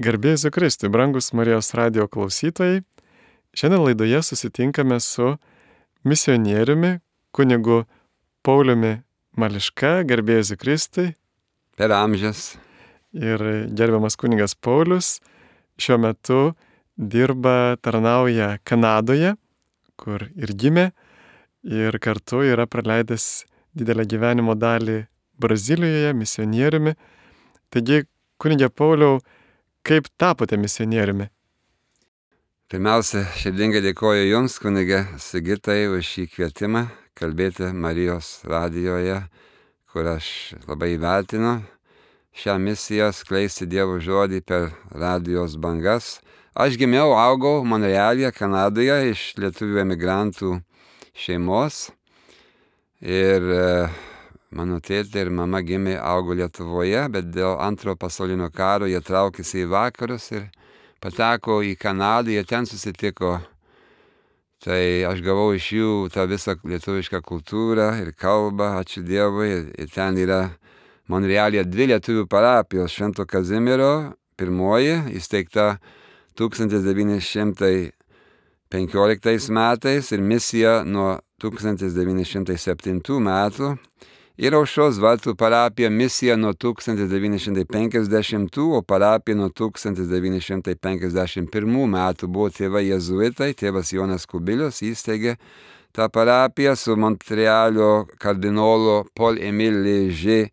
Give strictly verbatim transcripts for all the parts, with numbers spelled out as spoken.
Garbė Jėzui Kristui, brangus Marijos radijo klausytojai. Šiandien laidoje susitinkame su misionieriumi, kunigu Pauliumi Mališka. Garbė Jėzui Kristui. Per amžius. Ir gerbiamas kunigas Paulius šiuo metu dirba, tarnauja Kanadoje, kur ir gimė, ir kartu yra praleidęs didelę gyvenimo dalį Brazilijoje, misionieriumi. Taigi, kunige Pauliau, kaip tapote misionieriumi? Pirmiausia, širdingai dėkoju Jums, kunige Sigitai, už šį kvietimą kalbėti Marijos radijoje, kur aš labai vertinu šią misiją skleisti Dievo žodį per radijos bangas. Aš gimiau, augau Monrealyje, Kanadoje, iš lietuvių emigrantų šeimos. Ir mano tėtė ir mama gimė, augo Lietuvoje, bet dėl antro pasaulinio karo jie traukėsi į vakarus ir pateko į Kanadą, jie ten susitiko. Tai aš gavau iš jų tą visą lietuvišką kultūrą ir kalbą, ačiū Dievui. Ir ten yra Monrealyje dvi lietuvių parapijos, Švento Kazimiero, pirmoji, įsteigta tūkstantis devyni šimtai penkioliktais metais ir misija nuo tūkstantis devyni šimtai septintų metų. Ir Aušros vartų parapija misija nuo tūkstantis devyni šimtai penkiasdešimtų, o parapija nuo tūkstantis devyni šimtai penkiasdešimt pirmų metų. Buvo tėvai jėzuitai, tėvas Jonas Kubilius įsteigė tą parapiją su Montrealio kardinolo Paul Émile Léger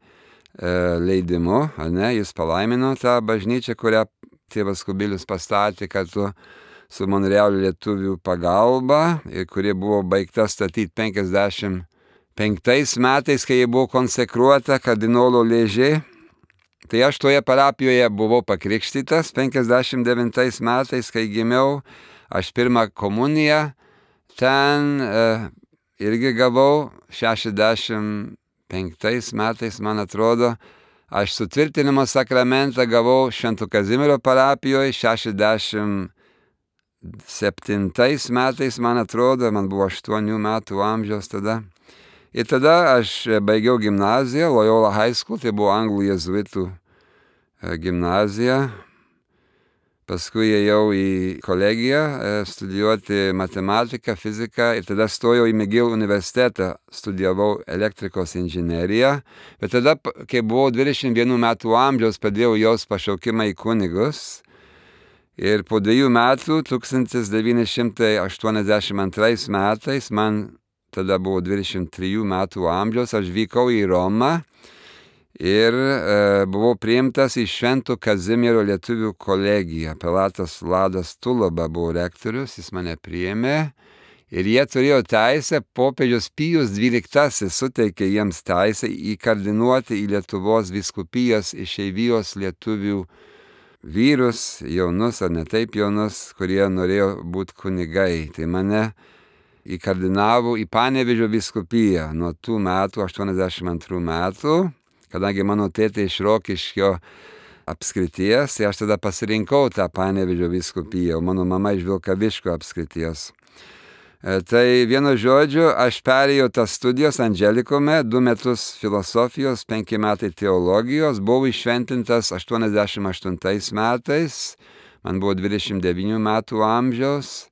leidimu. Ne? Jis palaimino tą bažnyčią, kurią tėvas Kubilius pastatė kartu su Monrealio lietuvių pagalba, ir kuri buvo baigta statyti penkiasdešimt penktais metais, kai jie buvo konsekruota kardinolo Léger. Tai aš toje parapijoje buvau pakrikštytas penkiasdešimt devintais metais, kai gimiau. Aš pirmą komuniją ten e, irgi gavau šešiasdešimt penktais metais, man atrodo. Aš sutvirtinimo sakramentą gavau Švento Kazimiero parapijoje šešiasdešimt septintais metais, man atrodo, man buvo aštuonių metų amžiaus tada. Ir tada aš baigiau gimnaziją, Loyola High School, tai buvo anglų jėzuitų gimnazija. Paskui ėjau į kolegiją studijuoti matematiką, fiziką ir tada stojau į McGill universitetą, studijavau elektrikos inžineriją. Bet tada, kai buvau dvidešimt vienų metų amžiaus, pradėjau jaust pašaukimą į kunigus. Ir po dviejų metų, tūkstantis devyni šimtai aštuoniasdešimt antrais metais, man tada buvo dvidešimt trijų metų amžiaus, aš vykau į Romą ir e, buvau priimtas į Švento Kazimiero lietuvių kolegiją. Prelatas Vladas Tulaba buvo rektorius, jis mane priėmė ir jie turėjo teisę, popiežius Pijus dvyliktasis suteikė jiems teisę įkardinuoti į Lietuvos vyskupijas išeivijos lietuvių vyrus, jaunus ar ne taip jaunus, kurie norėjo būti kunigai. Tai mane įkardinavo į Panevėžio vyskupiją nuo tų metų, aštuoniasdešimt antrų metų, kadangi mano tėtė iš Rokiškio apskrities, tai aš tada pasirinkau tą Panevėžio vyskupiją, o mano mama iš Vilkaviškio apskrities. E, tai vienu žodžiu, aš perėjau tas studijos Angelikome, du metus filosofijos, penki metai teologijos, buvau iššventintas aštuoniasdešimt aštuntais metais, man buvo dvidešimt devynių metų amžiaus.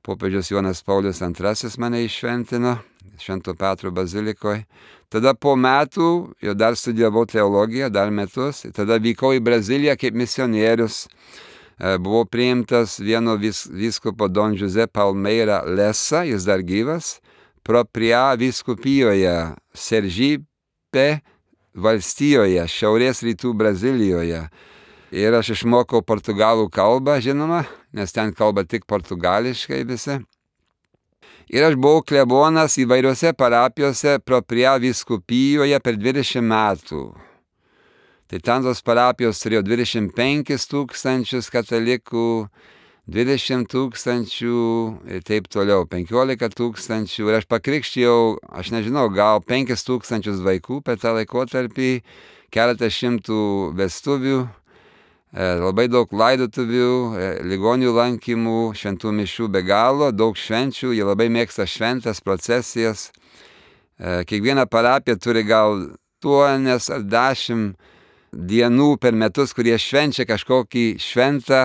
Popiežius Jonas Paulius antrasis mane iššventino Švento Petro bazilikoje. Tada po metų jau dar studijavau teologiją, dar metus. Tada vykau į Braziliją kaip misionierius. Buvau priimtas vieno vis, vyskupo Don José Palmeira Lessa, jis dar gyvas, Propria vyskupijoje, Sergipe valstijoje, šiaurės rytų Brazilijoje. Ir aš išmokau portugalų kalbą, žinoma, nes ten kalba tik portugališkai visi. Ir aš buvau klebonas įvairiose parapijose Propria vyskupijoje per dvidešimt metų. Tai ten tos parapijos turėjo dvidešimt penkis tūkstančius katalikų, dvidešimt tūkstančių ir taip toliau, penkiolika tūkstančių. Ir aš pakrikštijau, aš nežinau, gal penkis tūkstančius vaikų per tą laikotarpį, keletą šimtų vestuvių. Labai daug laidotuvių, ligonių lankymų, šventų mišių be galo, daug švenčių, jie labai mėgsta šventas procesijas. Kiekviena parapija turi gal aštuonias ar dešimt dienų per metus, kurie švenčia kažkokį šventą,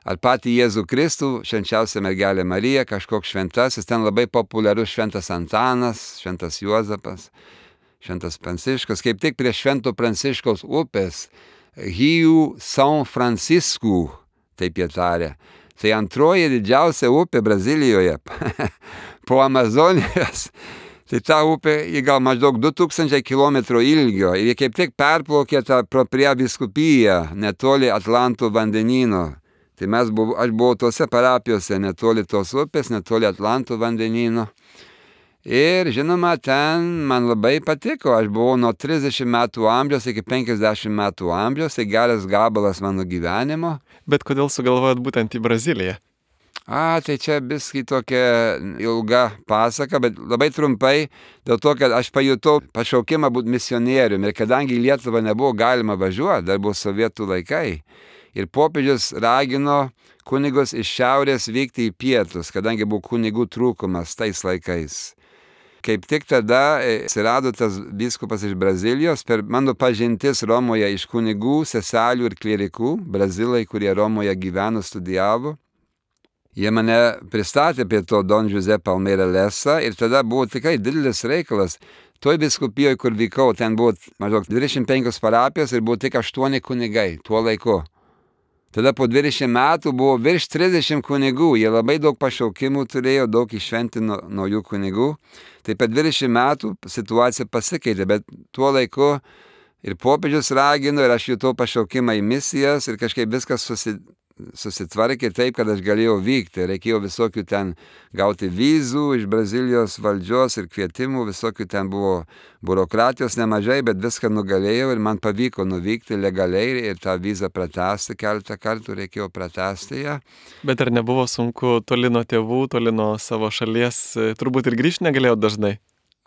ar patį Jėzų Kristų, švenčiausią mergelę Mariją, kažkoks šventasis, ten labai populiarus šventas Antanas, šventas Juozapas, šventas Pranciškus, kaip tik prie švento Pranciškaus upės, Rio São Francisco, taip jie tarė. Tai antroji didžiausia upė Brazilijoje, po Amazonijos. Tai ta upė, ji gal maždaug du tūkstančiai kilometrų ilgio ir jie kaip tik perplaukė tą pro prie vyskupiją, netoli Atlanto vandenyno. Tai mes buvo, aš buvau tose parapijose, netoli tos upės, netoli Atlanto vandenyno. Ir žinoma, ten man labai patiko, aš buvau nuo trisdešimt metų amžiaus iki penkiasdešimt metų amžiaus, tai geras gabalas mano gyvenimo. Bet kodėl sugalvojot būtent į Braziliją? A, tai čia biskį tokia ilga pasaka, bet labai trumpai, dėl to, kad aš pajutau pašaukimą būti misionieriumi ir kadangi į Lietuvą nebuvo galima važiuoti, dar buvo sovietų laikai. Ir popiežius ragino kunigus iš šiaurės vykti į pietus, kadangi buvo kunigų trūkumas tais laikais. Kaip tik tada atsirado tas vyskupas iš Brazilijos, per mano pažintis Romoje iš kunigų, seselių ir klierikų, brazilai, kurie Romoje gyveno, studijavo. Jie mane pristatė prie to Don José Palmeira Lessa ir tada buvo tikrai didelis reikalas. Toj vyskupijoje, kur vykau, ten buvo maždaug dvidešimt penkios parapijos ir buvo tik aštuoni kunigai tuo laiku. Tada po dvidešimt metų buvo virš trisdešimt kunigų, jie labai daug pašaukimų turėjo, daug iššventino naujų kunigų. Tai per dvidešimt metų situacija pasikeitė, bet tuo laiku ir popiežius ragino ir aš jutau pašaukimą į misijas ir kažkaip viskas susi, susitvarkė taip, kad aš galėjau vykti. Reikėjo visokių ten gauti vizų iš Brazilijos valdžios ir kvietimų, visokių ten buvo biurokratijos nemažai, bet viską nugalėjau ir man pavyko nuvykti legaliai ir tą vizą pratęsti, keletą kartų reikėjo pratęsti ją. Bet ar nebuvo sunku toli nuo tėvų, toli nuo savo šalies, turbūt ir grįžti negalėjau dažnai?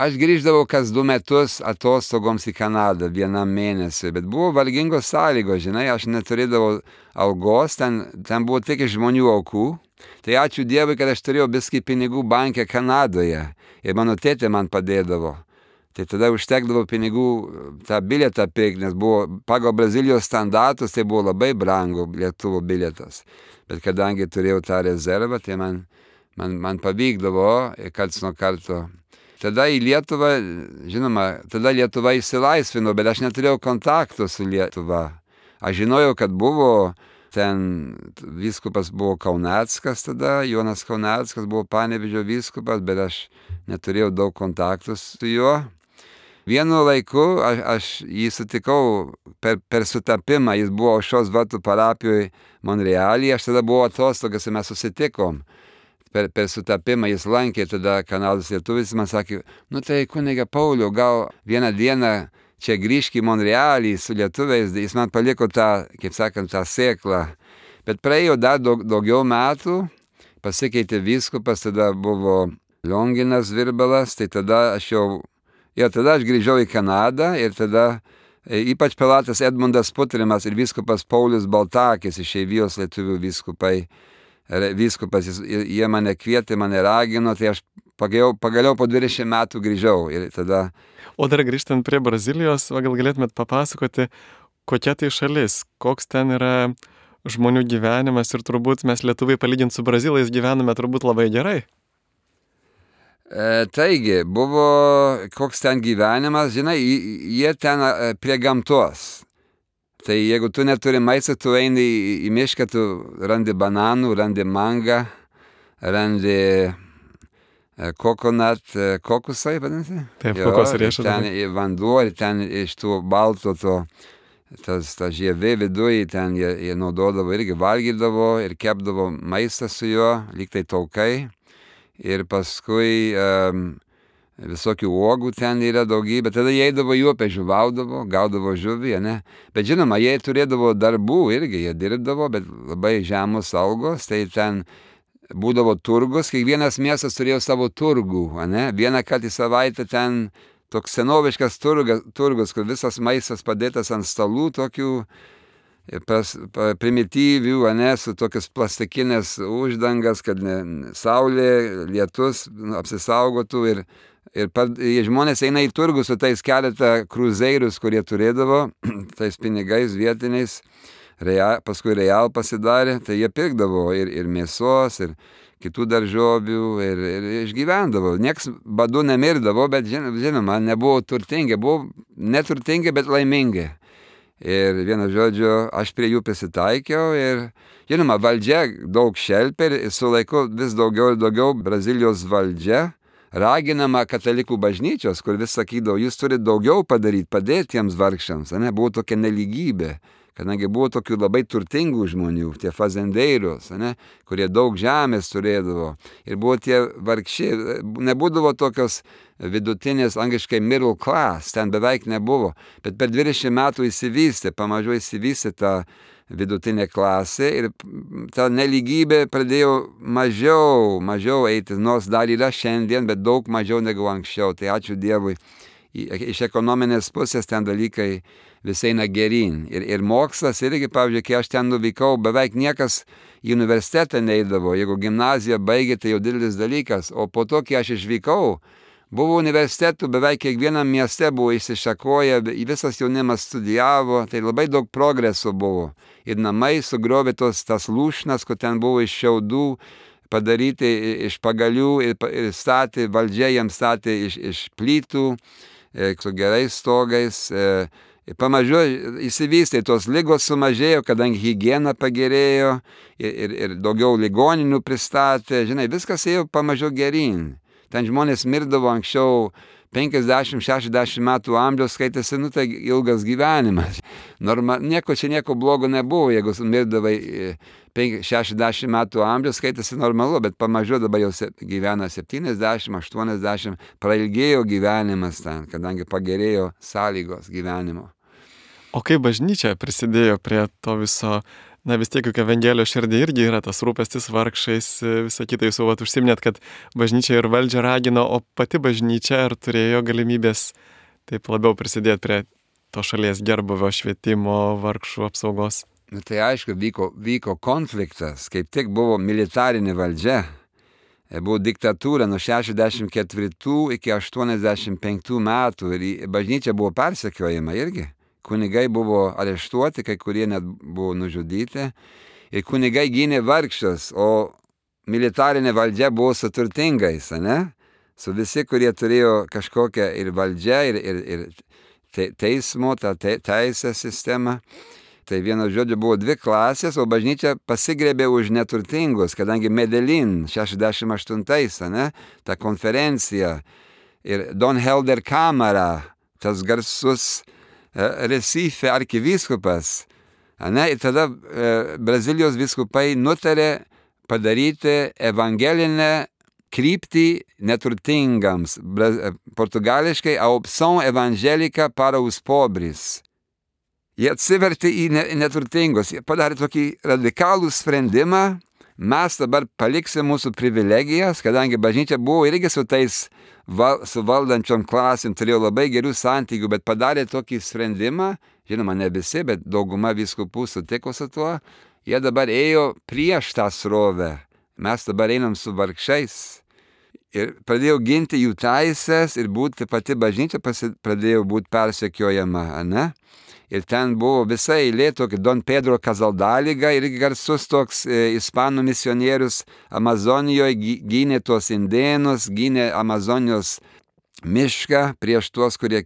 Aš grįždavau kas du metus atostogoms į Kanadą vienam mėnesiui, bet buvo vargingos sąlygos, žinai, aš neturėdavau algos, ten, ten buvo tik iš žmonių aukų. Tai ačiū Dievui, kad aš turėjau biskį pinigų banke Kanadoje ir mano tėtė man padėdavo. Tai tada užtekdavo pinigų tą bilietą pirkti, nes buvo pagal Brazilijos standartus, tai buvo labai brangu lėktuvo bilietas. Bet kadangi turėjau tą rezervą, tai man, man, man pavykdavo karts nuo karto. Tada į Lietuvą, žinoma, tada Lietuva išsilaisvino, bet aš neturėjau kontakto su Lietuva. Aš žinojau, kad buvo ten, vyskupas buvo Kauneckas tada, Jonas Kauneckas buvo Panevėžio vyskupas, bet aš neturėjau daug kontaktų su juo. Vienu laiku aš, aš jį sutikau per, per sutapimą, jis buvo Aušros vartų parapijoje Monrealyje, aš tada buvau atostogas ir mes susitikom. Per, per sutapimą jis lankė tada Kanados lietuvis, man sakė, nu tai kuniga Pauliau, gal vieną dieną čia grįžk į Monrealį su lietuviais, jis man paliko tą, kaip sakant, tą sėklą. Bet praėjo dar daug, daugiau metų, pasikeitė vyskupas, tada buvo Lionginas Virbalas, tai tada aš jau, ja, tada aš grįžau į Kanadą ir tada ypač prelatas Edmundas Putrimas ir vyskupas Paulius Baltakis, išeivijos lietuvių vyskupai, vyskupas, jie mane kvietė, mane ragino, tai aš pagaliau, pagaliau po dvidešimt metų grįžau ir tada... O dar grįžtant prie Brazilijos, gal galėtumėt papasakoti, kokia tai šalis, koks ten yra žmonių gyvenimas ir turbūt mes lietuviai palyginti su brazilais gyvename turbūt labai gerai. E, taigi, buvo koks ten gyvenimas, žinai, jie ten prie gamtos. Tai jeigu tu neturi maisto, tu eini į, į mišką, tu randi bananų, randi mangą, randi kokonat, kokusai, vadinasi? Taip, kokos riešas. Ten vanduo ir ten iš tų balto to, tas, ta žievė viduje, ten jie, jie naudodavo irgi valgydavo ir kepdavo maistą su juo, lyg tai taukai. Ir paskui um, visokių uogų ten yra daugybė, tada jie eidavo į upę, žuvaudavo, gaudavo žuvį, ne? Bet žinoma, jie turėdavo darbų irgi, jie dirbdavo, bet labai žemos algos, tai ten būdavo turgus, kiekvienas miestas turėjo savo turgų, ne? Vieną kartą į savaitę ten toks senoviškas turgas, turgus, kur visas maistas padėtas ant stalų tokių pas, pa, primityvių, ne, su tokios plastikinės uždangas, kad ne, saulė, lietus apsisaugotų ir Ir pad, žmonės eina į turgų su tais keletą kruzeirius, kurie turėdavo, tais pinigais vietiniais, real, paskui real pasidarė, tai jie pirkdavo ir, ir mėsos, ir kitų daržovių, ir, ir išgyvendavo. Niekas badu nemirdavo, bet žinoma, nebuvo turtingi, buvo neturtingi, bet laimingi. Ir vienu žodžiu, aš prie jų prisitaikiau ir, žinoma, valdžia daug šelpė ir su laiku vis daugiau ir daugiau Brazilijos valdžia raginama katalikų bažnyčios, kur vis sakydavo, jūs turite daugiau padaryti, padėti tiems vargšams, ne? Buvo tokia nelygybė, kadangi buvo tokių labai turtingų žmonių, tie fazendeiros, ne? Kurie daug žemės turėdavo, ir buvo tie vargšiai, nebūdavo tokios vidutinės, angliškai middle class, ten beveik nebuvo, bet per dvidešimt metų įsivystė, pamažu įsivystė tą vidutinė klasė ir ta nelygybė pradėjo mažiau, mažiau eiti, nors dar yra šiandien, bet daug mažiau negu anksčiau. Tai ačiū Dievui, iš ekonominės pusės ten dalykai visai eina geryn. Ir, ir mokslas irgi, pavyzdžiui, kai aš ten nuvykau, beveik niekas į universitetą neidavo. Jeigu gimnaziją baigė, tai jau didelis dalykas. O po to, kai aš išvykau, buvo universitetų, beveik kiekvienam mieste buvo išsišakoję, visas jaunimas studijavo, tai labai daug progreso buvo. Ir namai sugriovė tos tas lūšnas, kur ten buvo iš šiaudų padaryti, iš pagalių ir, ir statė, valdžia jiems statė iš, iš plytų, e, su gerais stogais. E, pamažu įsivystė, tos ligos sumažėjo, kadangi higiena pagerėjo ir, ir, ir daugiau ligoninių pristatė. Žinai, viskas ėjo pamažu geryn. Ten žmonės mirdavo anksčiau penkiasdešimt šešiasdešimt metų amžiaus, skaitėsi, nu tai ilgas gyvenimas. Norma, nieko čia nieko blogo nebuvo, jeigu mirdavai šešiasdešimt metų amžiaus, skaitėsi normalu, bet pamažu dabar jau gyvena septyniasdešimt aštuoniasdešimt, prailgėjo gyvenimas ten, kadangi pagerėjo sąlygos gyvenimo. O kaip bažnyčia prisidėjo prie to viso? Na vis tiek, juk Evangelijos širdį irgi yra tas rūpestis vargšais, visą kitą jūs jau vat užsiminėt, kad bažnyčia ir valdžia ragino, o pati bažnyčia ar turėjo galimybės taip labiau prisidėti prie to šalies gerbuvio, švietimo, vargšų apsaugos? Nu, tai aišku, vyko, vyko konfliktas, kaip tik buvo militarinė valdžia, buvo diktatūra nuo šešiasdešimt ketvirtų iki aštuoniasdešimt penktų metų ir bažnyčia buvo persekiojama irgi. Kunigai buvo areštuoti, kai kurie net buvo nužudyti. Ir kunigai gynė vargšus, o militarinė valdžia buvo su turtingais, ne? Su visi, kurie turėjo kažkokią ir valdžią, ir, ir, ir teismo, tą te, teisę sistemą. Tai vieno žodžio buvo dvi klasės, o bažnyčia pasigrėbė už neturtingus, kadangi Medellin šešiasdešimt aštuntais, ne? Ta konferencija ir Don Helder Camara, tas garsus Recife arkivyskupas, ne, ir tada e, Brazilijos vyskupai nutarė padaryti evangelinę kryptį neturtingams, Bra, portugališkai a opção evangélica para os pobres. Jie atsivertė į ne, neturtingus, jie padarė tokį radikalų sprendimą, mes dabar paliksim mūsų privilegijas, kadangi bažnyčia buvo irgi su tais Val, su valdančiom klasėm turėjo labai gerų santykių, bet padarė tokį sprendimą, žinoma, ne visi, bet dauguma vyskupų sutiko su tuo, jie dabar ėjo prieš tą srovę, mes dabar einam su vargšais ir pradėjo ginti jų teisės ir būti pati bažnyčia pradėjo būti persekiojama, ne? Ir ten buvo visa eilė tokia Don Pedro Casaldaliga, irgi garsus toks e, ispanų misionierius Amazonijoje, gynė tuos indėnus, gynė Amazonijos mišką prieš tuos, kurie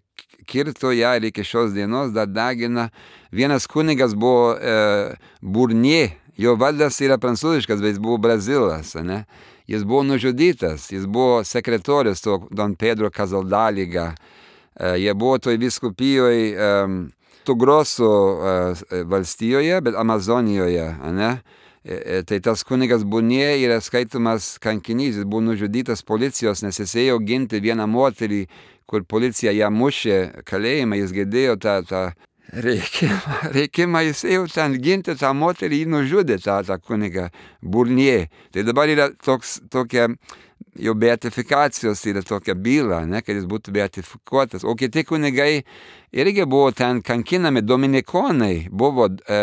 kirto ją ir iki šios dienos dar degina. Vienas kunigas buvo e, Burnier, jo vardas yra prancūziškas, bet jis buvo brazilas, ne? Jis buvo nužudytas, jis buvo sekretorius to Don Pedro Casaldaliga. E, jie buvo toj vyskupijoje e, Grosso uh, valstijoje, bet Amazonijoje, ne? E, tai tas kunigas Burnier yra skaitomas kankinys, jis buvo nužudytas policijos, nes jis ėjo ginti vieną moterį, kur policija ją mušė kalėjimą, jis girdėjo tą, tą reikimą, reikimą, jis ėjo ten ginti tą moterį, jį nužudė tą, tą kunigą Burnier. Tai dabar yra toks, tokia jau beatifikacijos yra tokia byla, ne, kad jis būtų beatifikuotas. O kiti kunigai irgi buvo ten kankinami, dominikonai, buvo e,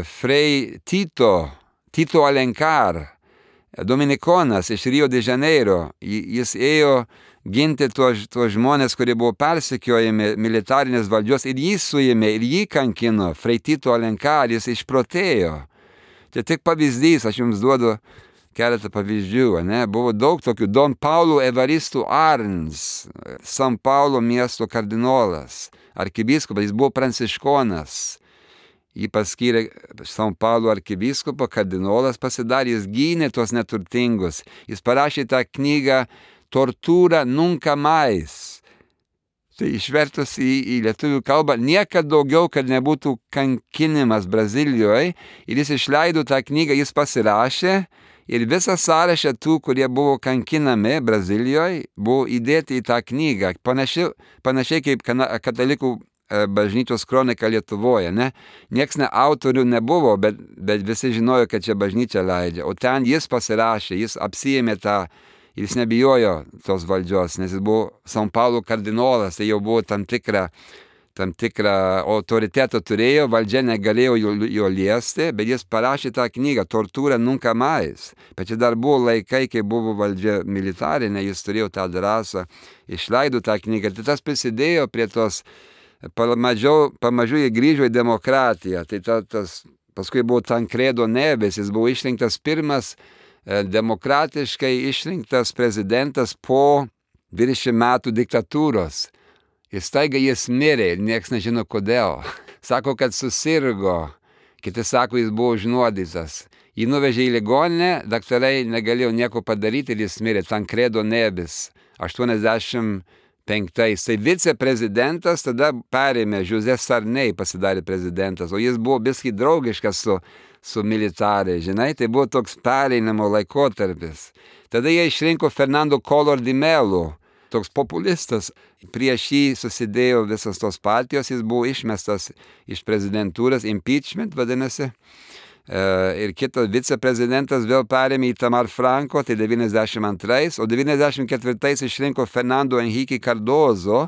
Frei Tito, Tito Alencar, dominikonas iš Rio de Janeiro. Jis ėjo ginti tuos, tuos žmonės, kurie buvo persekiojami militarinės valdžios ir jį suėmė, ir jį kankino, Freitito Alencar, jis išprotėjo. Tai tik pavyzdys, aš jums duodu keletą pavyzdžių, ne? Buvo daug tokių. Don Paulo Evaristo Arns, San Paulo miesto kardinolas, arkivyskupas, jis buvo pranciškonas. Jį paskyrė San Paulo arkivyskupo, kardinolas pasidarė, jis gynė tuos neturtingus. Jis parašė tą knygą Tortura nunca mais. Tai išvertus į, į lietuvių kalbą, niekad daugiau, kad nebūtų kankinimas Brazilijoje. Ir jis išleido tą knygą, jis pasirašė ir visą sąrašą tų, kurie buvo kankinami Brazilijoje, buvo įdėti į tą knygą. Panašiai, panašiai kaip katalikų bažnyčios kronika Lietuvoje, ne? Nieks ne autorių nebuvo, bet, bet visi žinojo, kad čia bažnyčia leidžia. O ten jis pasirašė, jis apsiėmė tą, jis nebijojo tos valdžios, nes jis buvo San Paulo kardinolas, tai jau buvo tam tikra, tam tikrą autoritetą turėjo, valdžia negalėjo jo, jo liesti, bet jis parašė tą knygą Tortura nunca mais. Bet čia dar buvo laikai, kai buvo valdžia militarinė, jis turėjo tą drąsą, išleido tą knygą. Tai tas prisidėjo prie tos Pamažiau, pamažu jie grįžo į demokratiją. Tai ta, tas, paskui buvo Tancredo Neves, jis buvo išrinktas pirmas e, demokratiškai išrinktas prezidentas po dvidešimt metų diktatūros. Ir staiga jis mirė ir nieks nežino kodėl. Sako, kad susirgo, kiti sako, jis buvo užnuodytas. Jį nuvežė į ligoninę, daktarai negalėjo nieko padaryti ir jis mirė. Tancredo Neves, aštuoniasdešimt penktais. Tai viceprezidentas tada perėmė, José Sarney pasidarė prezidentas, o jis buvo biskį draugiškas su, su militarai, žinai, tai buvo toks pereinamo laikotarpis. Tada jie išrinko Fernando Collor de Mello, toks populistas. Prieš jį susidėjo visas tos partijos, jis buvo išmestas iš prezidentūros, impeachment vadinasi. Uh, ir kitas viceprezidentas vėl perėmė Itamar Franco, tai devyniasdešimt antrais, o devyniasdešimt ketvirtais išrinko Fernando Henrique Cardozo,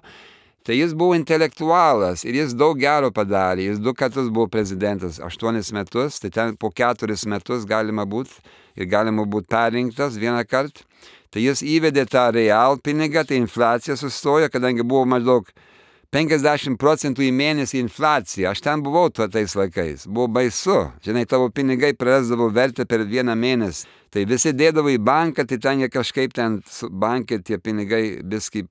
tai jis buvo intelektualas ir jis daug gero padarė, jis du kartus buvo prezidentas, aštuonis metus, tai ten po keturis metus galima būti ir galima būti perrinktas vieną kartą, tai jis įvedė tą real pinigą, tai infliacija sustojo, kadangi buvo maždaug penkiasdešimt procentų į mėnesį infliacija. Aš ten buvau tuo tais laikais. Buvo baisu. Žinai, tavo pinigai prarasdavo vertę per vieną mėnesį. Tai visi dėdavo į banką, tai ten jie kažkaip ten su bankė tie pinigai viskį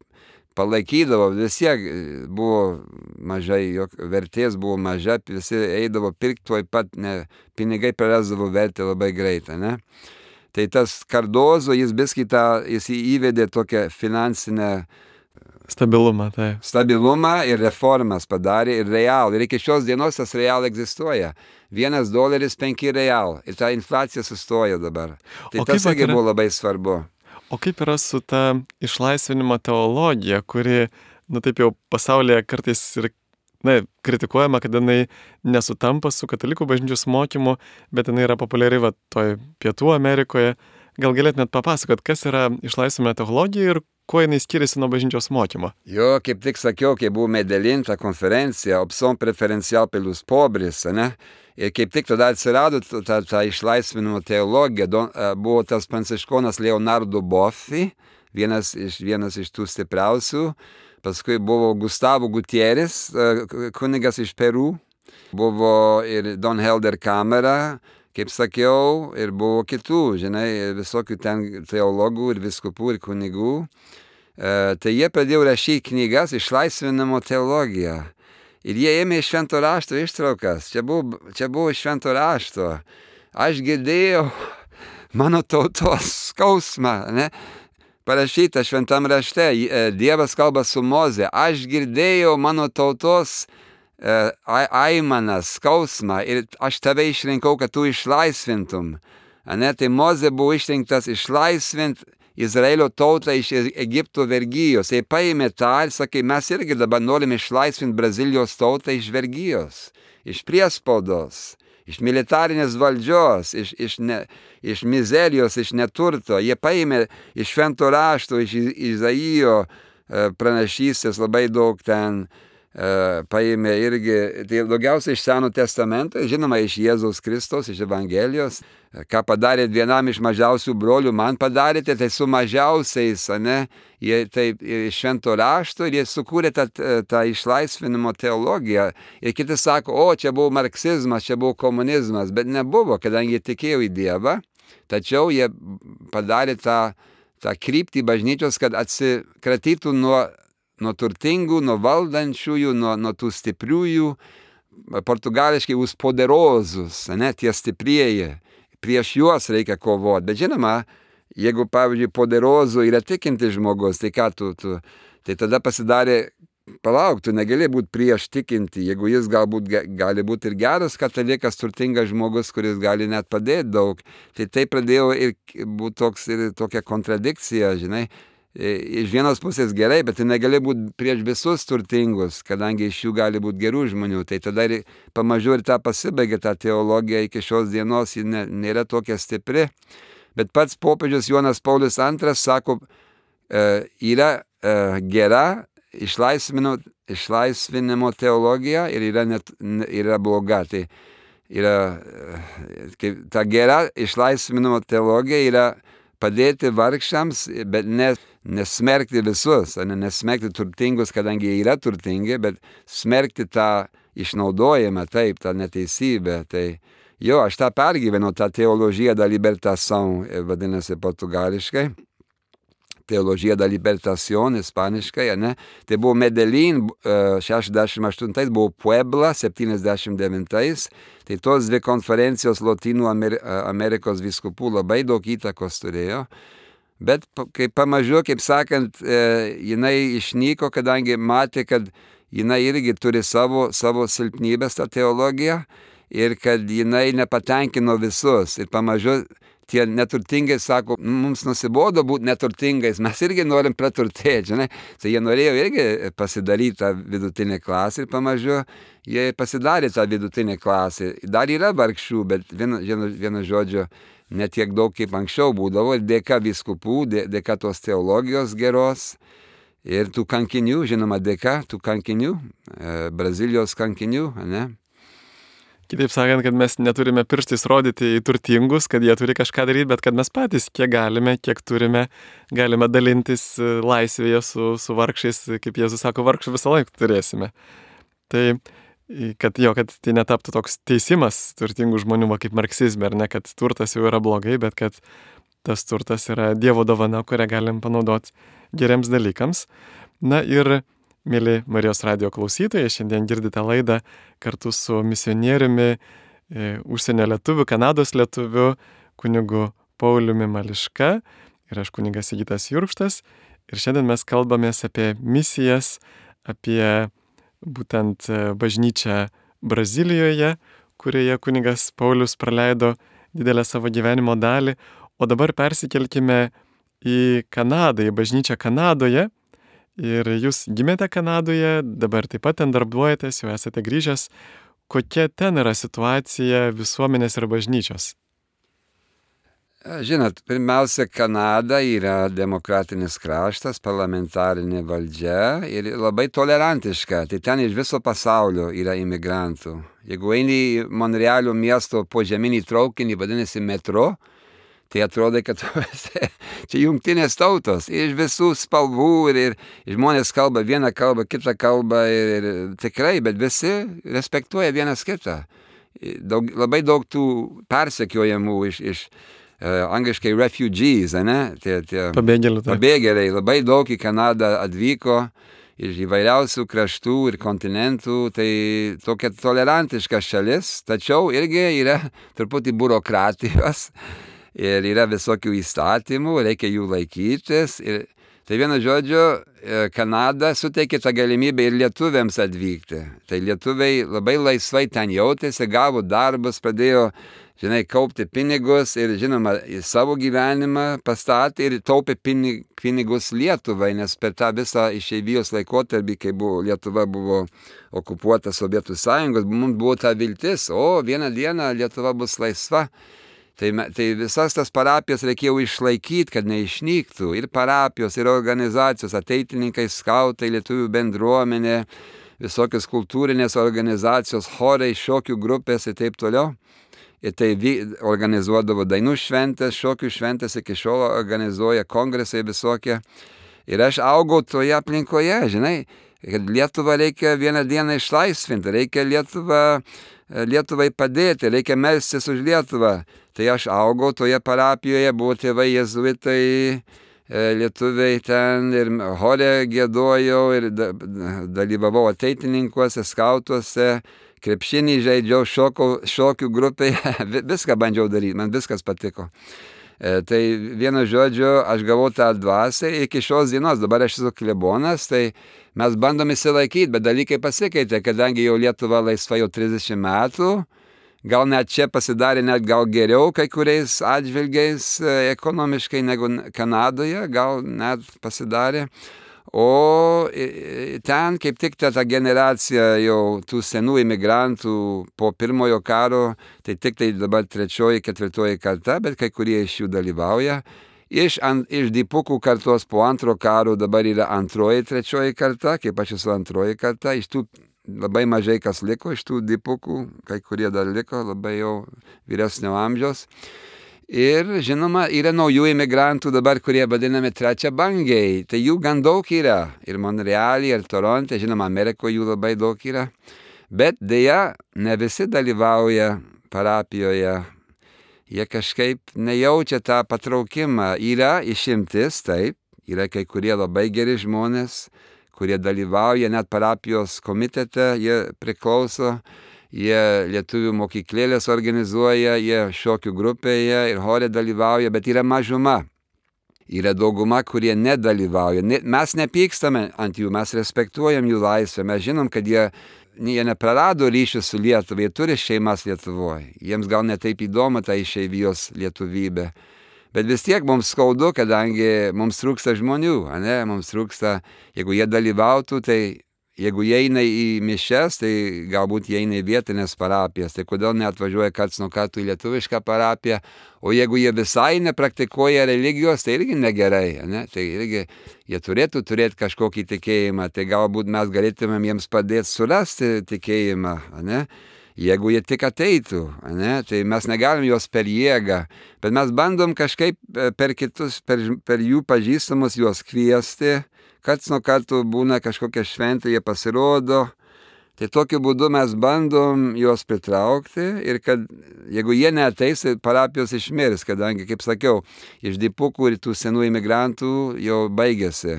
palaikydavo. Vis tiek buvo mažai, jog vertės buvo maža, visi eidavo pirkti tuoj pat, ne, pinigai prarasdavo vertę labai greitai, ne? Tai tas Cardozo, jis viskį tą, jis įvedė tokią finansinę Stabilumą, tai. Stabilumą ir reformas padarė ir real. Ir iki šios dienos tas real egzistuoja. Vienas doleris penki real. Ir ta infliacija sustojo dabar. Tai o tas irgi yra... buvo labai svarbu. O kaip yra su ta išlaisvinimo teologija, kuri, nu taip jau pasaulyje kartais ir, na, kritikuojama, kad jinai nesutampa su katalikų bažnyčios mokymu, bet jinai yra populiari va toj Pietų Amerikoje. Gal galėtumėt papasakot, kas yra išlaisvinimo teologija ir kuo jinai skiriasi nuo bažnyčios mokymo? Jo, kaip tik sakiau, kai buvo Medellin ta konferencija, opción preferencial pelos pobres, ne? Ir kaip tik tada atsirado ta, ta išlaisvinimo teologija, don, buvo tas pranciškonas Leonardo Boffi, vienas iš, vienas iš tų stipriausių, paskui buvo Gustavo Gutierrez, kunigas iš Peru, buvo ir Don Helder Camera, kaip sakiau, ir buvo kitų, žinai, visokių ten teologų ir viskupų ir kunigų. E, tai jie pradėjo rašyti knygas išlaisvinimo teologiją. Ir jie ėmė iš švento rašto ištraukas. Čia buvo, čia buvo iš švento rašto. Aš girdėjau mano tautos skausmą, ne? Parašyta šventam rašte, Dievas kalba su Moze. Aš girdėjau mano tautos aimanas, skausmą ir aš tave išrinkau, kad tu išlaisvintum. Ane, tai Mozė buvo išrinktas išlaisvint Izraelio tautą iš Egipto vergijos. Jie paėmė tą ir sakė, mes irgi dabar norim išlaisvinti Brazilijos tautą iš vergijos, iš priespaudos, iš militarinės valdžios, iš, iš, ne, iš mizerijos, iš neturto. Jie paėmė iš švento rašto, iš Izaijo pranašystės labai daug ten paėmė irgi, tai daugiausiai iš Seno testamento, žinoma, iš Jėzaus Kristaus, iš Evangelijos, ką padarėt vienam iš mažiausių brolių, man padarėte, tai su mažiausiais, ne, jie taip iš švento rašto ir jie sukūrė tą, tą išlaisvinimo teologiją. Ir kiti sako, o čia buvo marksizmas, čia buvo komunizmas, bet nebuvo, kadangi jie tikėjo į Dievą, tačiau jie padarė tą, tą kryptį bažnyčios, kad atsikratytų nuo nuo turtingų, nuo valdančiųjų, nuo, nuo tų stipriųjų, portugališkai us poderozus, ne, tie stiprieji, prieš juos reikia kovoti. Bet žinoma, jeigu, pavyzdžiui, poderozų yra tikinti žmogus, tai ką tu, tu, tai tada pasidarė, palauk, tu negali būti prieš tikinti, jeigu jis galbūt gali būti ir geras katalikas, turtingas žmogus, kuris gali net padėti daug, tai tai pradėjo ir būti toks, ir tokia kontradikcija, žinai. Iš vienos pusės gerai, bet tai negali būti prieš visus turtingus, kadangi iš jų gali būti gerų žmonių. Tai tada ir pamažu ir tą pasibaigė, tą teologiją iki šios dienos, ji ne, nėra tokia stipri. Bet pats popiežius Jonas Paulius antras sako, e, yra e, gera išlaisvinimo, išlaisvinimo teologija ir yra, net, yra bloga. Tai yra, e, ta gera išlaisvinimo teologija yra padėti vargšams, bet ne, nesmerkti visus, ne, nesmerkti turtingus, kadangi jie yra turtingi, bet smerkti tą išnaudojimą, taip, tą neteisybę. Tai jo, aš tą pergyvenau, tą teologiją da libertação, vadinasi portugališkai, teologija da libertación, ispaniškai, ne? Tai buvo Medellin, šešiasdešimt aštuntais, buvo Puebla, septyniasdešimt devintais. Tai tos dvi konferencijos Lotynų Amerikos vyskupų labai daug įtakos turėjo. Bet kaip pamažu, kaip sakant, jinai išnyko, kadangi matė, kad jinai irgi turi savo, savo silpnybės tą teologiją ir kad jinai nepatenkino visus. Ir pamažu tie neturtingai sako, mums nusibodo būti neturtingais, mes irgi norim praturtėti, žinai. Tai jie norėjo irgi pasidaryti tą vidutinę klasę ir pamažu jie pasidarė tą vidutinę klasę. Dar yra vargšų, bet vienu, vienu, vienu žodžiu, ne tiek daug kaip anksčiau būdavo. Ir dėka vyskupų, dėka tos teologijos geros ir tų kankinių, žinoma, dėka tų kankinių, Brazilijos kankinių, ne? Kitaip sakant, kad mes neturime pirštais rodyti į turtingus, kad jie turi kažką daryti, bet kad mes patys, kiek galime, kiek turime, galime dalintis laisvėje su, su vargšais, kaip Jėzus sako, vargšų visą laiką turėsime. Tai, kad jo, kad tai netaptų toks teisimas turtingų žmonių, va, kaip marksizme, ar ne, kad turtas jau yra blogai, bet kad tas turtas yra Dievo dovana, kurią galim panaudoti geriems dalykams. Na ir mėly Marijos radijo klausytojai, šiandien girdite laidą kartu su misionieriumi, e, užsienio lietuviu, Kanados lietuviu, kunigu Pauliumi Mališka ir aš kunigas Sigitas Jurkštas. Ir šiandien mes kalbamės apie misijas, apie būtent bažnyčią Brazilijoje, kurioje kunigas Paulius praleido didelę savo gyvenimo dalį. O dabar persikelkime į Kanadą, į bažnyčią Kanadoje. Ir jūs gimėte Kanadoje, dabar taip pat ten darbuojatės, jau esate grįžęs. Kokia ten yra situacija visuomenės ir bažnyčios? Žinot, pirmiausia, Kanada yra demokratinis kraštas, parlamentarinė valdžia ir labai tolerantiška. Tai ten iš viso pasaulio yra imigrantų. Jeigu eini į Monrealio miesto požeminį traukinį, vadinasi metro, tai atrodo, kad čia jungtinės tautos iš visų spalvų ir, ir žmonės kalba vieną kalbą, kitą kalbą ir, ir tikrai, bet visi respektuoja vienas kitą. Daug, labai daug tų persekiojamų iš, iš uh, angliškai refugees, ne? Tie, tie pabėgėliai. Pabėgėliai labai daug į Kanadą atvyko iš įvairiausių kraštų ir kontinentų, tai tokia tolerantiška šalis, tačiau irgi yra truputį biurokratijos. Ir yra visokių įstatymų, reikia jų laikytis. Ir tai vienu žodžiu, Kanada suteikė tą galimybę ir lietuviams atvykti. Tai lietuviai labai laisvai ten jautėsi, gavo darbus, pradėjo, žinai, kaupti pinigus ir, žinoma, į savo gyvenimą pastatė ir taupė pinigus Lietuvai, nes per tą visą išeivijos laikotarpį, kai buvo, Lietuva buvo okupuota Sovietų Sąjungos, mums buvo ta viltis, o vieną dieną Lietuva bus laisva. Tai, tai visas tas parapijas reikėjo išlaikyti, kad neišnyktų. Ir parapijos, ir organizacijos, ateitininkai, skautai, lietuvių bendruomenė, visokios kultūrinės organizacijos, chorai, šokių grupės ir taip toliau. Ir tai organizuodavo dainų šventės, šokių šventės, iki šiol organizuoja kongresai visokie. Ir aš augau toje aplinkoje, žinai, kad Lietuvą reikia vieną dieną išlaisvinti, reikia Lietuvą, Lietuvai padėti, reikia melstis už Lietuvą. Tai aš augau toje parapijoje, buvo tėvai jezuitai, lietuviai ten ir chore giedojau ir dalyvavau ateitininkuose, skautuose, krepšinį žaidžiau, šokau, šokių grupėje, viską bandžiau daryti, man viskas patiko. E, tai vienu žodžiu, aš gavau tą dvasią iki šios dienos, dabar aš esu klebonas, tai mes bandom įsilaikyti, bet dalykai pasikeitė, kadangi jau Lietuva laisva jau trisdešimt metų, gal net čia pasidarė net gal geriau kai kuriais atžvilgiais ekonomiškai negu Kanadoje, gal net pasidarė. O ten kaip tik ta, ta generacija jau tų senų imigrantų po pirmojo karo, tai tik tai dabar trečioji, ketvirtoji karta, bet kai kurie iš jų dalyvauja. Iš, ant, iš dipukų kartos po antro karo dabar yra antroji, trečioji karta, kaip aš esu antroji karta, iš tų labai mažai kas liko, iš tų dipukų, kai kurie dar liko, labai jau vyresnio amžiaus. Ir, žinoma, yra naujų imigrantų dabar, kurie vadinami trečiabangiai. Tai jų gan daug yra. Ir Monrealy, ir Toronte, žinoma, Amerikoje jų labai daug yra. Bet dėja, ne visi dalyvauja parapijoje. Jie kažkaip nejaučia tą patraukimą. Yra išimtis, taip. Yra kai kurie labai geri žmonės, kurie dalyvauja net parapijos komitete, jie priklauso. Jie lietuvių mokyklėlės organizuoja, jie šokių grupėje ir chore dalyvauja, bet yra mažuma. Yra dauguma, kurie nedalyvauja. Mes nepykstame ant jų, mes respektuojam jų laisvę, mes žinom, kad jie, jie neprarado ryšių su Lietuva, jie turi šeimas Lietuvoje. Jiems gal netaip įdomu ta išeivijos lietuvybė. Bet vis tiek mums skaudu, kadangi mums trūksta žmonių, ne? Mums trūksta, jeigu jie dalyvautų, tai jeigu jie eina į mišias, tai galbūt jie eina į vietinės parapijas, tai kodėl neatvažiuoja karts nuo kartų į lietuvišką parapiją, o jeigu jie visai nepraktikuoja religijos, tai irgi negerai, ne? Tai irgi jie turėtų turėti kažkokį tikėjimą, tai galbūt mes galėtumėm jiems padėti surasti tikėjimą, ne? Jeigu jie tik ateitų, ne? Tai mes negalim juos per jėgą, bet mes bandom kažkaip per kitus, per, per jų pažįstamus juos kviesti. Karts nuo kartų būna kažkokia šventė, jie pasirodo, tai tokiu būdu mes bandom juos pritraukti ir kad jeigu jie neateis, parapijos išmirs, kadangi, kaip sakiau, iš dipukų ir tų senų imigrantų jau baigėsi.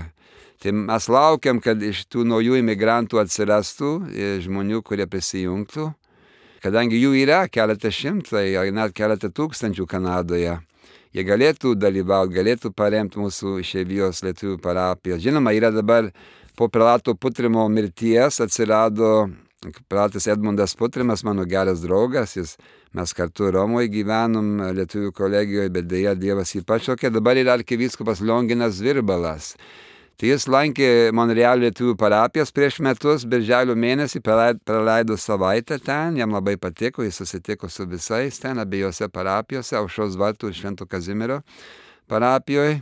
Tai mes laukiam, kad iš tų naujų imigrantų atsirastų žmonių, kurie prisijungtų, kadangi jų yra keletą šimtai, ar net keletą tūkstančių Kanadoje. Jie galėtų dalyvauti, galėtų paremti mūsų išeivijos lietuvių parapiją. Žinoma, yra dabar po prelato Putrimo mirties atsirado prelatas Edmundas Putrimas, mano geras draugas, jis, mes kartu Romoje gyvenom lietuvių kolegijoje, bet dėja Dievas jį pašaukė. Dabar yra arkivyskupas Lionginas Virbalas. Tai jis lankė Monrealio lietuvių parapijas prieš metus, birželio mėnesį praleido savaitę ten, jam labai patiko, jis susitiko su visais ten, abiejose parapijose, Aušros vartų ir Švento Kazimiero parapijoje.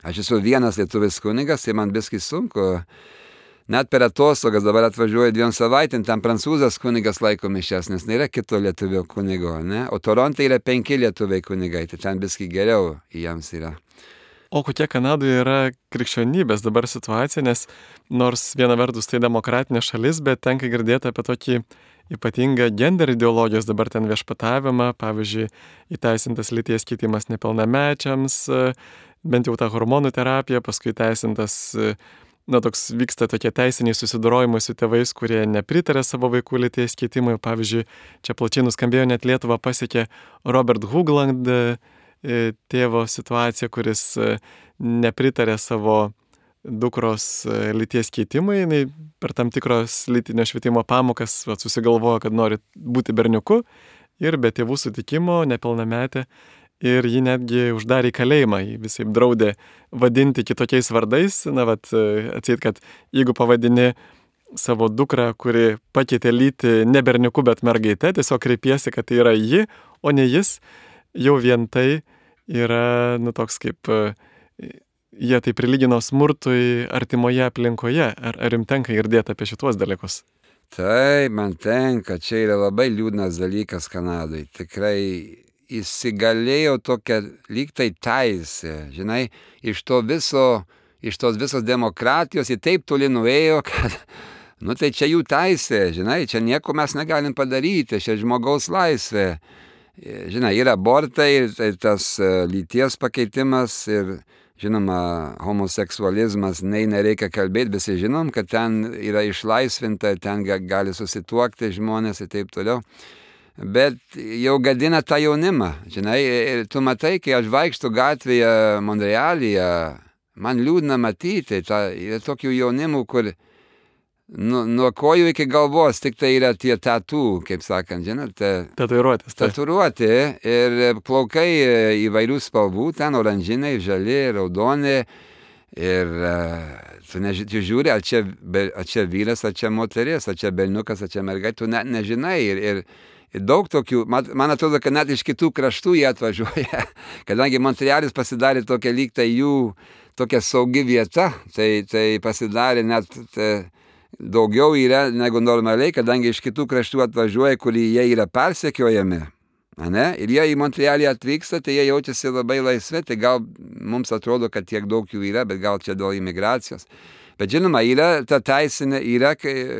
Aš esu vienas lietuvis kunigas, tai man biskį sunku. Net per atostogas dabar atvažiuoju dviem savaitėm, ten prancūzas kunigas laiko mišias, nes nėra kito lietuvio kunigo, ne? O Toronte yra penki lietuviai kunigai, tai ten biskį geriau jiems yra. O kokia Kanadoje yra krikščionybės dabar situacija, nes nors viena vertus tai demokratinė šalis, bet tenka girdėti apie tokį ypatingą gender ideologijos dabar ten viešpatavimą, pavyzdžiui, įteisintas lyties keitimas nepilnamečiams, bent jau ta hormonų terapija, paskui įteisintas, na, toks vyksta tokie teisiniai susidorojimai su tėvais, kurie nepritarė savo vaikų lyties keitimui. Pavyzdžiui, čia plačiai nuskambėjo, net Lietuvą pasiekė Robert Hoogland, tėvo situacija, kuris nepritarė savo dukros lyties keitimui, jinai per tam tikros lytinio švietimo pamokas va, susigalvojo, kad nori būti berniuku ir be tėvų sutikimo nepilnametė ir jį netgi uždarė į kalėjimą, jį visai draudė vadinti kitokiais vardais, na, vat, atseit, kad jeigu pavadini savo dukrą, kuri pakeitė lytį ne berniuku, bet mergaite, tiesiog kreipiesi, kad tai yra ji, o ne jis, jau vien tai yra, nu, toks kaip jie tai prilygino smurtui artimoje aplinkoje. Ar, ar jums tenka girdėti apie šitos dalykus? Tai man tenka, čia yra labai liūdnas dalykas Kanadai. Tikrai įsigalėjo tokia lyg tai teisė, žinai, iš to viso, iš tos visos demokratijos į taip toli nuėjo, kad, nu tai čia jų teisė, žinai, čia nieko mes negalim padaryti, čia žmogaus laisvė. Žinai, yra abortai, tai tas lyties pakeitimas ir, žinoma, homoseksualizmas, nei nereikia kalbėti, visi žinom, kad ten yra išlaisvinta, ten gali susituokti žmonės ir taip toliau. Bet jau gadina tą jaunimą, žinai, ir tu matai, kai aš vaikštu gatvėje Monrealyje, man liūdna matyti, ta, yra tokių jaunimų, kur nu, nuo kojų iki galvos tik tai yra tie tatų, kaip sakant, žinote. Tatuiruotės. Tatuiruoti ir plaukai įvairių spalvų, ten oranžiniai, žali, raudoni. Ir tu, neži, tu žiūri, ar čia, ar čia vyras, ar čia moteris, ar čia berniukas, ar čia mergaitė, tu net nežinai. Ir, ir, ir daug tokių, man, man atrodo, kad net iš kitų kraštų jie atvažiuoja, kadangi Montrealis pasidarė tokia lyg tai jų tokia saugi vieta, tai, tai pasidarė net... Tai, daugiau yra negu normaliai, kadangi iš kitų kraštų atvažiuoja, kurie jie yra persekiojami. Ne? Ir jie į Montrealį atvyksta, tai jie jaučiasi labai laisvi, tai gal mums atrodo, kad tiek daug jų yra, bet gal čia dėl imigracijos. Bet žinoma, yra ta teisinė, yra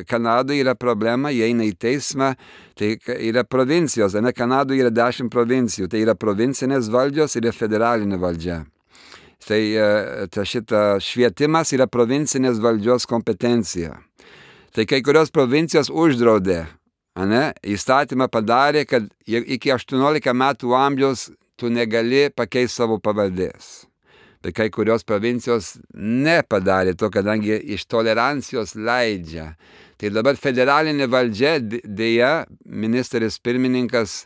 Kanadoje yra problema, jie eina į teismą, tai yra provincijos, ne, Kanadoje yra dešimt provincijų, tai yra provincinės valdžios ir federalinė valdžia. Tai ta šita švietimas yra provincinės valdžios kompetencija. Tai kai kurios provincijos uždraudė, ne, įstatymą padarė, kad iki aštuoniolika metų amžiaus tu negali pakeisti savo pavardės. Bet kai kurios provincijos nepadarė to, kadangi iš tolerancijos leidžia. Tai dabar federalinė valdžia, dėja, ministras pirmininkas,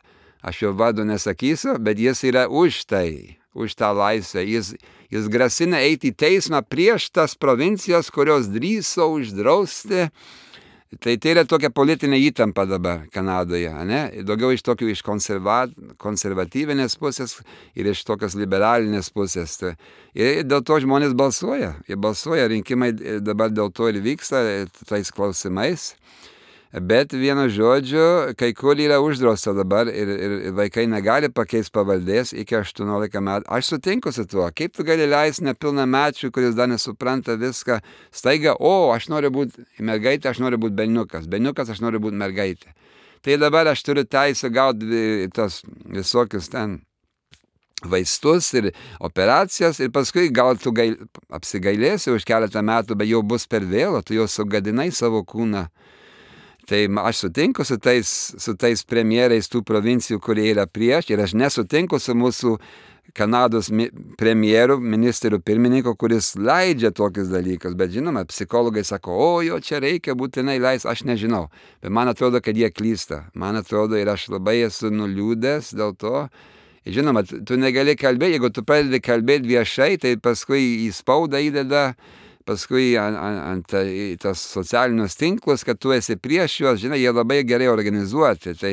aš jo vardo nesakysiu, bet jis yra už tai, už tą laisvę. Jis, jis grasina eiti į teismą prieš tas provincijas, kurios drįso uždrausti. Tai tai yra tokia politinė įtampa dabar Kanadoje, ne? Daugiau iš tokių iš konserva, konservatyvinės pusės ir iš tokios liberalinės pusės. Ir dėl to žmonės balsuoja. Jie balsuoja, rinkimai dabar dėl to ir vyksta tais klausimais. Bet vienu žodžiu, kai kur yra uždrausta dabar ir, ir vaikai negali pakeisti pavardės iki aštuoniolika metų. Aš sutinku su tuo. Kaip tu gali leisti nepilnamečiui, kuris dar nesupranta viską, staiga, o, aš noriu būti mergaitė, aš noriu būti berniukas. Berniukas, aš noriu būti mergaitė. Tai dabar aš turiu teisę gauti tos visokius ten vaistus ir operacijas ir paskui gal tu gail, apsigailėsi už keletą metų, bet jau bus per vėlu, tu jau sugadinai savo kūną. Tai aš sutinku su tais, su tais premjerais tų provincijų, kurie yra prieš, ir aš nesutinku su mūsų Kanados premjeru, ministerių pirmininko, kuris leidžia tokius dalykus. Bet žinoma, psichologai sako, o jo čia reikia būtinai leis, aš nežinau. Bet man atrodo, kad jie klysta. Man atrodo, ir aš labai esu nuliūdęs dėl to. Žinoma, tu negali kalbėti, jeigu tu pradedi kalbėti viešai, tai paskui į spaudą įdeda, paskui ant, ant, ant tas socialinius tinklus, kad tu esi prieš juos, žinai, jie labai gerai organizuoti. Tai,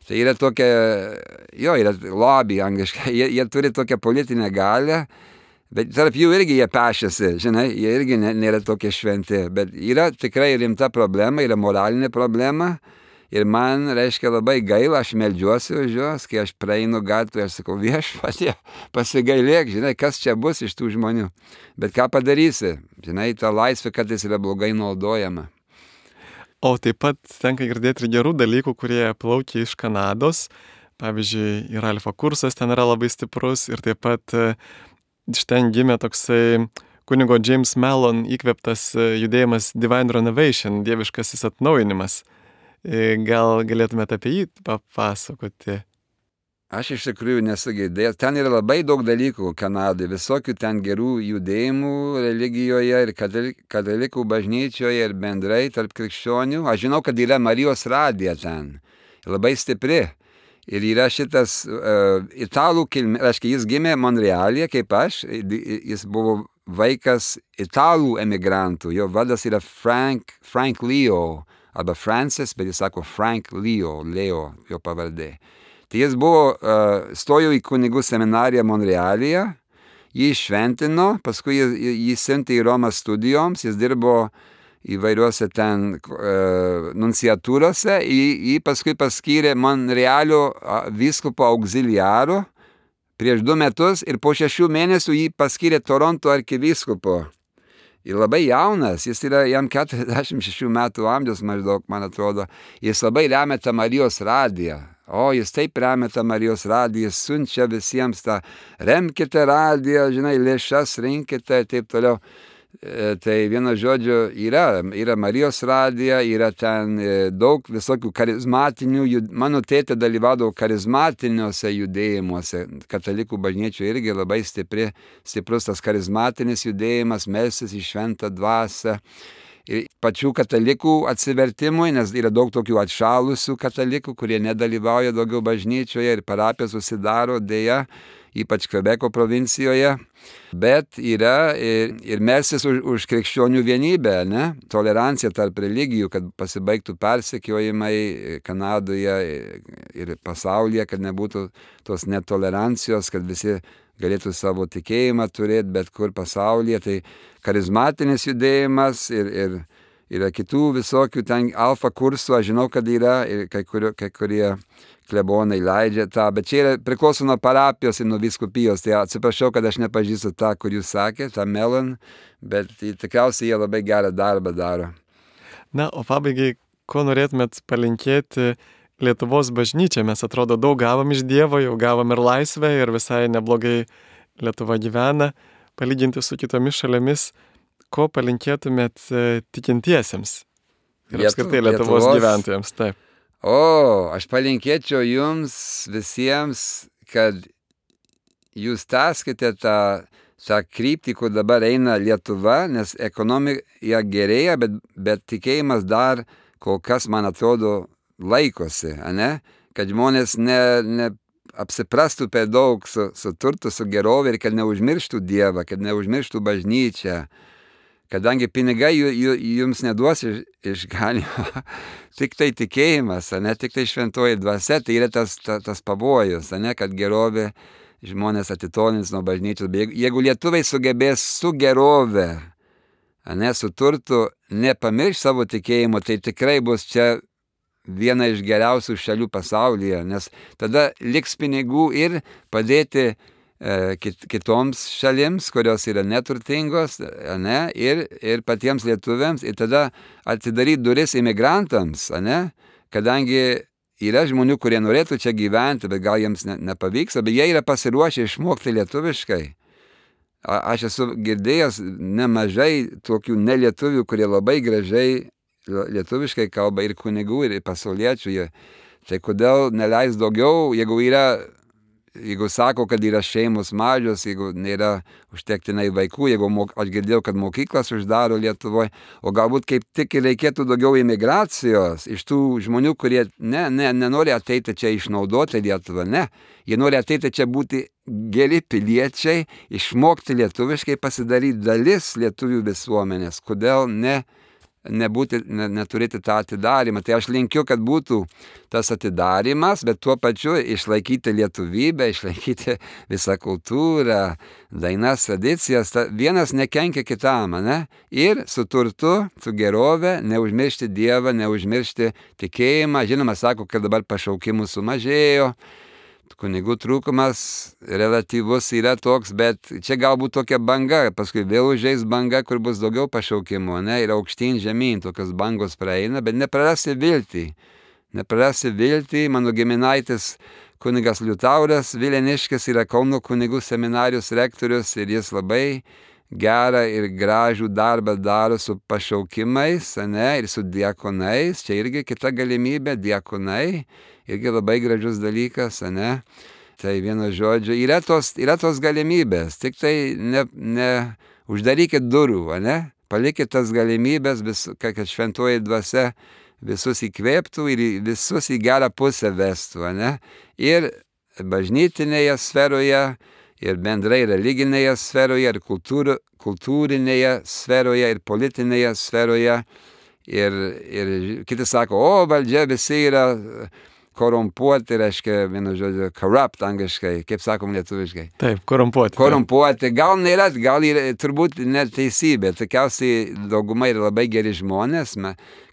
tai yra tokia, jo, yra lobby angliškai, jie, jie turi tokią politinę galę, bet tarp jų irgi jie pešėsi, žinai, jie irgi nėra tokie šventi, bet yra tikrai rimta problema, yra moralinė problema. Ir man, reiškia, labai gaila, aš meldžiuosi už juos, kai aš praeinu gatvę, aš sakau, viešpatie, pasigailėk, žinai, kas čia bus iš tų žmonių. Bet ką padarysi, žinai, ta laisvė kartais yra blogai naudojama. O taip pat tenka girdėti ir gerų dalykų, kurie plaukia iš Kanados. Pavyzdžiui, ir alfa kursas ten yra labai stiprus ir taip pat iš ten gimė toksai kunigo James Mellon įkvėptas judėjimas Divine Renovation, dieviškasis atnaujinimas. Gal galėtumėte apie jį papasakoti? Aš iš tikrųjų nesu girdėjęs. Ten yra labai daug dalykų Kanadoje, visokių ten gerų judėjimų religijoje ir katalikų bažnyčioje ir bendrai tarp krikščionių. Aš žinau, kad yra Marijos radija ten, labai stipri. Ir yra šitas uh, italų kilmė, reiškia, jis gimė Monrealyje kaip aš, jis buvo vaikas italų emigrantų, jo vardas yra Frank, Frank Leo. Arba Francis, bet jis sako Frank Leo, Leo, jo pavardė. Tai jis buvo, uh, stojo į kunigų seminariją Monrealyje jį šventino, paskui jį, jį siuntė į Romą studijoms, jis dirbo įvairiuose ten e, nunciatūrose, jį, jį paskui paskyrė Monrealio vyskupo auxiliaro prieš du metus ir po šešių mėnesių jį paskyrė Toronto arkivyskupo. Ir labai jaunas, jis yra jam keturiasdešimt šešių metų amžiaus maždaug, man atrodo, jis labai remia tą Marijos radiją. O, jis taip remia tą Marijos radiją, jis siunčia visiems tą, remkite radiją, žinai, lėšas rinkite ir taip toliau. E, tai vieno žodžio yra, yra Marijos radija, yra ten e, daug visokių charizmatinių, jud... mano tėtė dalyvaudavo charizmatiniuose judėjimuose, katalikų bažnyčių irgi labai stipri, stiprus tas charizmatinis judėjimas, melsis į šventą dvasią. Ir pačių katalikų atsivertimui, nes yra daug tokių atšalusių katalikų, kurie nedalyvauja daugiau bažnyčioje ir parapijos susidaro dėja, ypač Kvebeko provincijoje, bet yra ir, ir melsis už, už krikščionių vienybę, ne? Tolerancija tarp religijų, kad pasibaigtų persekiojimai Kanadoje ir pasaulyje, kad nebūtų tos netolerancijos, kad visi galėtų savo tikėjimą turėti bet kur pasaulyje. Tai charizmatinis judėjimas ir, ir yra kitų visokių ten alfa kursų, aš žinau, kad yra ir kai, kurio, kai kurie klebonai leidžia tą, bet čia yra priklauso nuo parapijos ir nuo vyskupijos. Tai atsiprašau, kad aš nepažįstu tą, kur jūs sakėte, tą Melon, bet tikriausiai jie labai gerą darbą daro. Na, o pabaigai, ko norėtumėt palinkėti Lietuvos bažnyčia? Mes atrodo daug gavom iš Dievo, jau gavom ir laisvę ir visai neblogai Lietuva gyvena, palyginti su kitomis šalimis. Ko palinkėtumėt tikintiesiems ir apskritai Lietuvos, Lietuvos gyventojams? Taip. O, aš palinkėčiau jums visiems, kad jūs tęskite tą, tą kryptį, kur dabar eina Lietuva, nes ekonomika gerėja, bet, bet tikėjimas dar kol kas, man atrodo, laikosi, ane? Kad žmonės ne, ne apsiprastų per daug su, su turtu, su gerovė ir kad neužmirštų Dievą, kad neužmirštų bažnyčią. Kadangi pinigai jums neduos išganimo, tik tai tikėjimas, ne, tik tai šventoji dvasia, tai yra tas, tas, tas pavojus, ne, kad gerovė žmonės atitolins nuo bažnyčios. Jeigu lietuviai sugebės su gerove, ne, su turtu, nepamirš savo tikėjimo, tai tikrai bus čia viena iš geriausių šalių pasaulyje, nes tada liks pinigų ir padėti e, kit, kitoms šalims, kurios yra neturtingos, ne, ir, ir patiems lietuviams, ir tada atidaryti duris imigrantams, ne, kadangi yra žmonių, kurie norėtų čia gyventi, bet gal jiems ne, nepavyks, bet jie yra pasiruošę išmokti lietuviškai. A, aš esu girdėjęs nemažai tokių nelietuvių, kurie labai gražiai lietuviškai kalba ir kunigų, ir pasauliečių. Tai kodėl neleis daugiau, jeigu yra, jeigu sako, kad yra šeimos mažos, jeigu nėra užtektinai vaikų, jeigu mok, aš girdėjau, kad mokyklas uždaro Lietuvoje, o galbūt kaip tik reikėtų daugiau imigracijos iš tų žmonių, kurie ne, ne, nenori ateiti čia išnaudoti Lietuvą, ne. Jie nori ateiti čia būti geri piliečiai, išmokti lietuviškai, pasidaryti dalis lietuvių visuomenės. Kodėl ne? Nebūti, ne, neturėti tą atidarimą. Tai aš linkiu, kad būtų tas atidarimas, bet tuo pačiu išlaikyti lietuvybę, išlaikyti visą kultūrą, dainas, tradicijas. Ta, vienas nekenkia kitam, ne? Ir su turtu, su gerove, neužmiršti Dievą, neužmiršti tikėjimą. Žinoma, sako, kad dabar pašaukimų sumažėjo. Kunigų trūkumas relatyvus yra toks, bet čia galbūt tokia banga, paskui vėl užeis banga, kur bus daugiau pašaukimų, ne, ir aukštyn žemyn, tokios bangos praeina, bet neprarasti viltį, neprarasti viltį. Mano giminaitis kunigas Liutauras Vileniškis yra Kauno kunigų seminarijos rektorius ir jis labai gerą ir gražų darbą daro su pašaukimais, ne, ir su diakonais. Čia irgi kita galimybė, diakonai. Irgi labai gražus dalykas, ne? Tai vieno žodžio, yra tos, yra tos galimybės, tik tai ne, ne uždarykit durų, ne? Palikit tas galimybės, vis, kad šventoji dvasia visus įkvėptų ir visus į gerą pusę vestų, ne? Ir bažnytinėje sferoje, ir bendrai religinėje sferoje, ir kultūr, kultūrinėje sferoje, ir politinėje sferoje. Ir, ir kiti sako, o valdžia visi yra korumpuoti, reiškia, vienu žodžiu, corrupt angliškai, kaip sakom lietuviškai. Taip, korumpuoti. Korumpuoti. Gal nėra, gal yra turbūt neteisybė. Tikiausiai dauguma yra labai geri žmonės,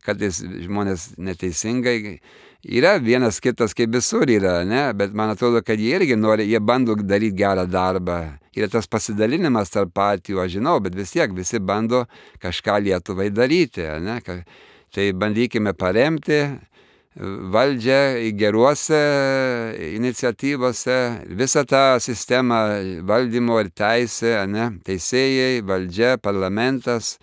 kartais žmonės neteisingai. Yra vienas kitas, kaip visur yra, ne? Bet man atrodo, kad jie irgi nori, jie bando daryti gerą darbą. Yra tas pasidalinimas tarp partijų, aš žinau, bet vis tiek visi bando kažką Lietuvai daryti, ne? Tai bandykime paremti valdžią geruose iniciatyvose, visą tą sistemą valdymo ir teisė, ne? Teisėjai, valdžia, parlamentas,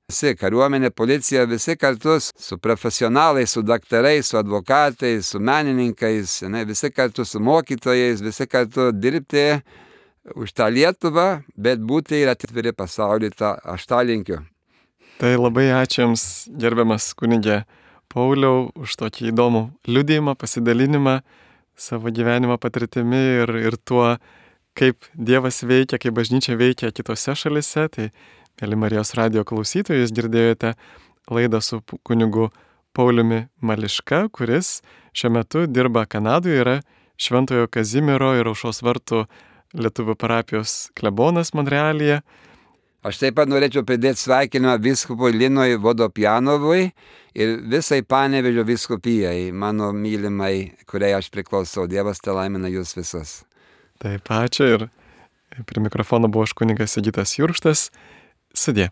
visi, kariuomenė, policija, visi kartu su profesionalais, su daktarais, su advokatais, su menininkais, ne? Visi kartu su mokytojais, visi kartu dirbti už tą Lietuvą, bet būti ir atviri pasaulį, tą aš tą linkiu. Tai labai ačiū Jums, gerbiamas kunigė Pauliau, už tokį įdomų liudijimą, pasidalinimą savo gyvenimo patirtimi ir, ir tuo, kaip Dievas veikia, kaip bažnyčia veikia kitose šalise. Tai, mėly Marijos radijo klausytojai, jūs girdėjote laidą su kunigu Pauliumi Mališka, kuris šiuo metu dirba Kanadoje, yra Šventojo Kazimiero ir Aušros vartų Lietuvių parapijos klebonas Monrealyje. Aš taip pat norėčiau pridėti sveikinimą vyskupui Linui Vodopjanovui ir visai Panevėžio vyskupijai, mano mylimai, kuriai aš priklausau. Dievas te laimina jūs visus. Taip, ačiū ir prie mikrofono buvo aš kunigas Sigitas Jurkštas. Sudie.